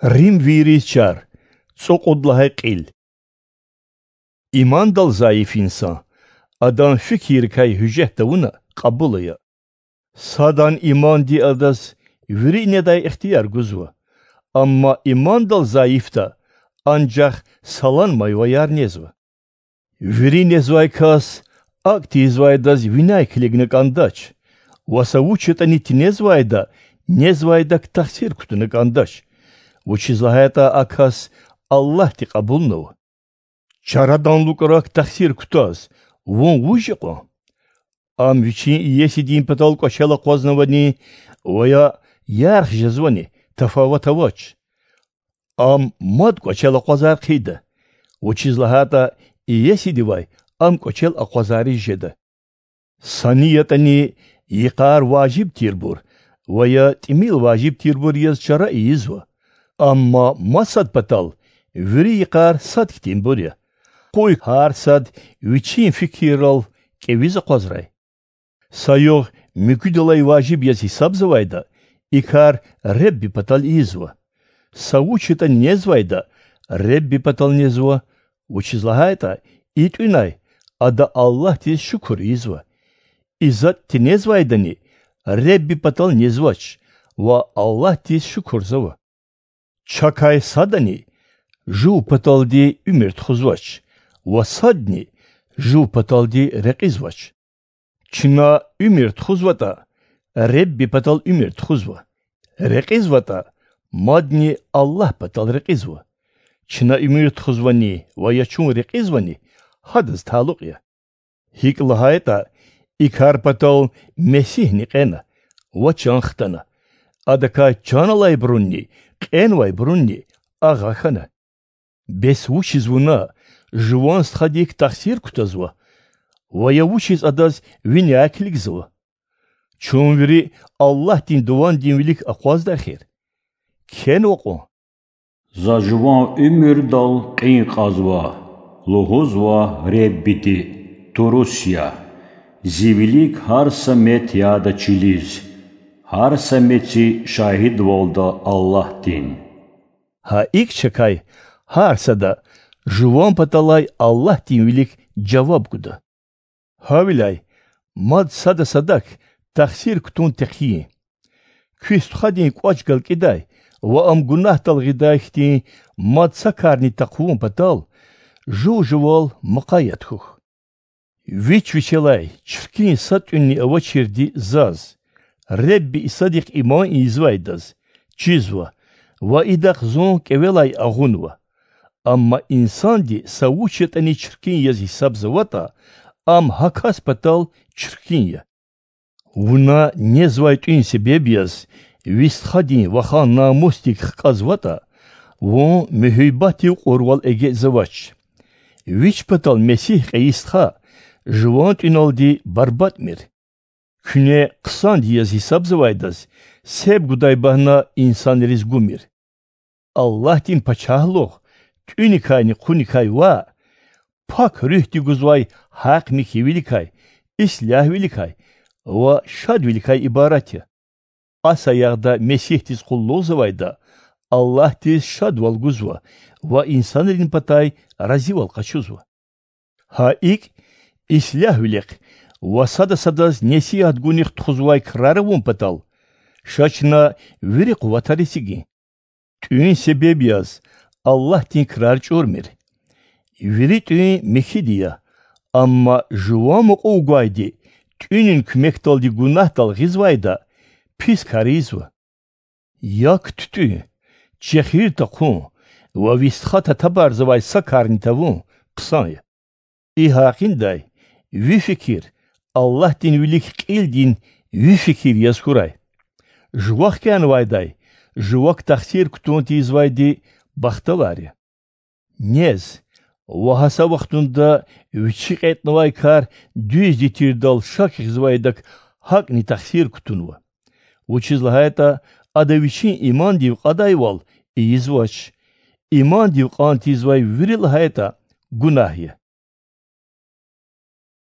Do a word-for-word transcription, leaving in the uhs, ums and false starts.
Римвийриз чар, цӀукьуд лагьай кьил. Имандал зайиф инсан, адан фикиррикай гьуьжет тавуна кьабул ая. Садан иманди адаз вири недай ихтияр гузва, амма имандал зайифда анжах саланмайваяр незва. Вири незвай кас акӀ тийизвайдаз виняй килигна кӀандач, ва са вуч ятӀани тинезвайда незвайдак тахсир кутуна кӀандач, вучиз лагьайтӀа а кас Аллагьди кьабулнава. Чарадан лукӀрак тахсир кутаз вун вуж я кьван? Ам вичин иесидин патал кӀвачел акъвазнавани ва я ярх жезвани, тафават авач. Ам мад кӀвачел акъвазар хъийида, вучиз лагьайтӀа иесидивай ам кӀвачел акъвазариз жеда. Са ни ятӀани йикъар важиб тирбур ва я тӀимил важиб тирбур яз чара ийизва, амма масад патал вири йикъар сад хьтинбур я. Къуй гьар сад вичин фикиррал кӀевиз акъвазрай. Са югъ муькуьдалай важиб яз гьисабзавайда и кар Ребби патал ийизва. Са вуч ятӀани незвайда Ребби патал незва, вучиз лагьайтӀа и тӀуьнай ада Аллагьдиз шукур ийизва. И затӀ тинезвайдани Ребби патал незвач ва Аллагьдиз шукурзава. Чакай садани жув паталди уьмуьр тухузвач ва садни жув паталди рекьизвач. Чна уьмуьр тухузватӀа, Ребби патал уьмуьр тухузва, рекьизватӀа, мадни Аллагь патал рекьизва. Чна уьмуьр тухузвани ва я чун рекьизвани гьадаз талукь я. ГьикӀ лагьайтӀа, и кар патал Месигьни кьена ва чан хтана, адакай чан алайбурунни кьенвайбурунни агъа хьана. Бес вучиз вуна Жуван Стхадик тахсир кутазва ва я вучиз адаз виняй килигзава? Чун вири Аллагьдин дувандин вилик акъвазда эхир. Кхьенва кьван: За жуван уьмуьрдал кьин кьазва, лугьузва Реббиди, турус я, зи вилик гьар са мет яда чилиз, гьар са меци шагьидвалда Аллагьдин. Гьа икӀ чакай гьар сада жуван паталай Аллагьдин вилик жаваб гуда. Гьавиляй мад сада садак тахсир кутун текъйин. Куь стхадин кӀвач галкӀидай ва ам гунагьдал гъидай хьтин мад са карни такьван патал жув жувал мукъаят хьухь. Вич вичелай чиркин са тӀуьнни авачирди заз, Ребби Исадихъ иман ийизвайдаз, чизва ва идахъ зун кӀевелай агъунва. Амма инсанди са вуч ятӀани чиркин яз гьисабзаватӀа, ам гьа кас патал чиркин я. Вуна незвай тӀуьн себеб яз ви стхадин вахан намусдик хкьазватӀа, вун муьгьуьббатдив кьурвал эгечӀзавач. Вич патал Месигь кьейи стха жуван тӀуьналди барбатӀмир. Куьне хъсанди яз гьисабзавайдаз себ гудай багьна инсанриз гумир. Аллагьдин Пачагьлугъ тӀуьникайни хъуникай ваъ, Пак Руьгьди гузвай гьахъ-михьивиликай, ислягьвиликай ва шадвиликай ибарат я. А саягъда Месигьдиз къуллугъзавайда Аллагьдиз шадвал гузва ва инсанрин патай разивал къачузва. Гьа икӀ, ислягьвилихъ ва сада садаз несигьат гунихъ тухузвай крар авун патал, ша чна вири къуватар эцигин. ТӀуьн себеб яз Аллагьдин крар чӀурмир. Вири тӀуьн михьиди я, амма жуван мукьув гвайди тӀуьнин куьмекдалди гунагьдал гъизвайда, пис кар ийизва. Як тутӀуьн, чехир тахъун ва ви стха татабарзавай са карни тавун хъсан я. И гьакъиндай ви фикир Аллагьдин вилик кьилдин ви фикир яз хьурай. Жува хкянавайдай жувак тахсир кутун тийизвайди бахтавар я. Нез ва гьа са вахтунда вичи кьетӀнавай кар дуьзди тирдал шак гъизвайдак гьакӀни тахсир кутунва, вучиз лагьайтӀа ада вичин имандив кьадайвал ийизвач. Имандив кьан тийизвай вири лагьайтӀа гунагь я.